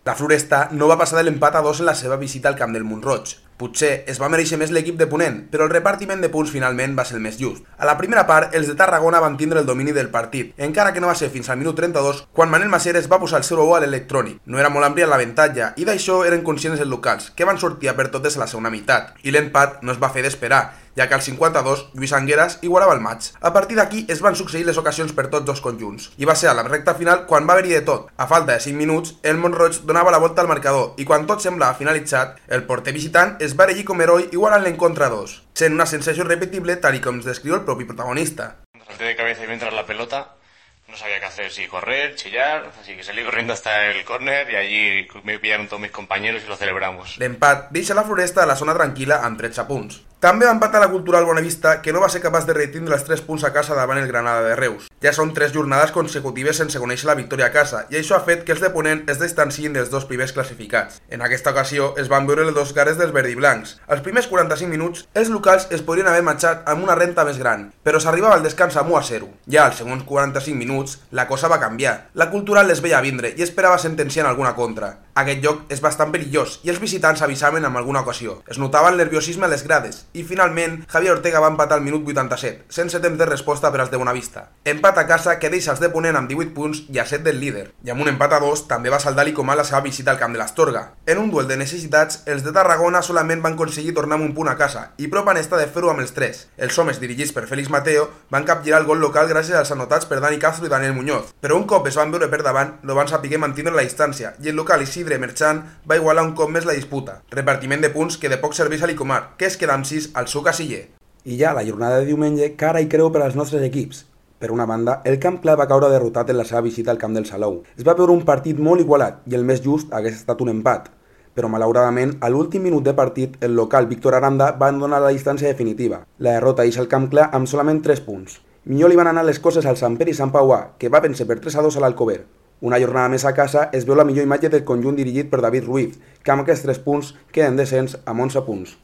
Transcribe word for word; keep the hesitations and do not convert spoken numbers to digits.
La Floresta no va passar de l'empat a dos en la seva visita al camp del Mont-roig. Potser es va mereixer més l'equip de Ponent, però el repartiment de punts finalment va ser el més just. A la primera part, els de Tarragona van tindre el domini del partit, encara que no va ser fins al minut trenta-dos, quan Manel Maseres va posar el zero a u a l'electrònic. No era molt àmplia l'avantatge, i d'això eren conscients els locals, que van sortir a per totes a la segona meitat, i l'empat no es va fer d'esperar, ja que al cinquanta-dos Lluís Angueras igualava el maig. A partir d'aquí es van succeir les ocasions per tots dos conjunts, i va ser a la recta final quan va haver-hi de tot. A falta de cinc minuts, el Mont-roig donava la volta al marcador, i quan tot semblava finalitzat, el porter visitant es va erigir com heroi igualant l'encontre a dos, sent una sensació irrepetible tal i com es descriu el propi protagonista. Salté de cabeza y mientras la pelota no sabía qué hacer, si correr, chillar, así que salí corriendo hasta el córner y allí me pillaron todos mis compañeros y lo celebramos. L'empat deixa la Floresta a la zona tranquil·la amb tretze punts. També va empatar la Cultural Bonavista, que no va ser capaç de retindre els tres punts a casa davant el Granada de Reus. Ja són tres jornades consecutives sense conèixer la victòria a casa, i això ha fet que els de Ponent es distanciïn dels dos primers classificats. En aquesta ocasió es van veure les dos cares dels verdiblancs. Als primers quaranta-cinc minuts, els locals es podrien haver marxat amb una renta més gran, però s'arribava al descans amb u a zero. Ja als segons quaranta-cinc minuts, la cosa va canviar. La Cultural les veia vindre i esperava sentenciar en alguna contra. Aquest joc és bastant perillós i els visitants avisaven en alguna ocasió. Es notava el nerviosisme a les grades i finalment Javier Ortega va empatar al minut vuitanta-set, sense temps de resposta per als de Bonavista. Empat a casa que deixa els de Ponent amb divuit punts i a set del líder. I amb un empat a dos també va saldar l'Icomà la seva visita al camp de l'Astorga. En un duel de necessitats, els de Tarragona solament van aconseguir tornar amb un punt a casa i prop han estat de fer-ho amb els tres. Els homes dirigits per Félix Mateo van capgirar el gol local gràcies als anotats per Dani Castro i Daniel Muñoz, però un cop es van veure per davant no van saber mantenir la distància i el local Isidre Merchant va igualar un cop més la disputa. Repartiment de punts que de poc serveix a l'Icomar, que es queda amb sis al seu casiller. I ja la jornada de diumenge, cara i creu per als nostres equips. Per una banda, el Camp Clar va caure derrotat en la seva visita al camp del Salou. Es va veure un partit molt igualat i el més just hagués estat un empat. Però malauradament, a l'últim minut de partit, el local Víctor Aranda va donar la distància definitiva. La derrota deixa el Camp Clar amb solament tres punts. Millor li van anar les coses al Sant Pere i Sant Pauà, que va vèncer per tres a dos a l'Alcover. Una jornada més a casa es veu la millor imatge del conjunt dirigit per David Ruiz, que amb aquests tres punts queden descens amb onze punts.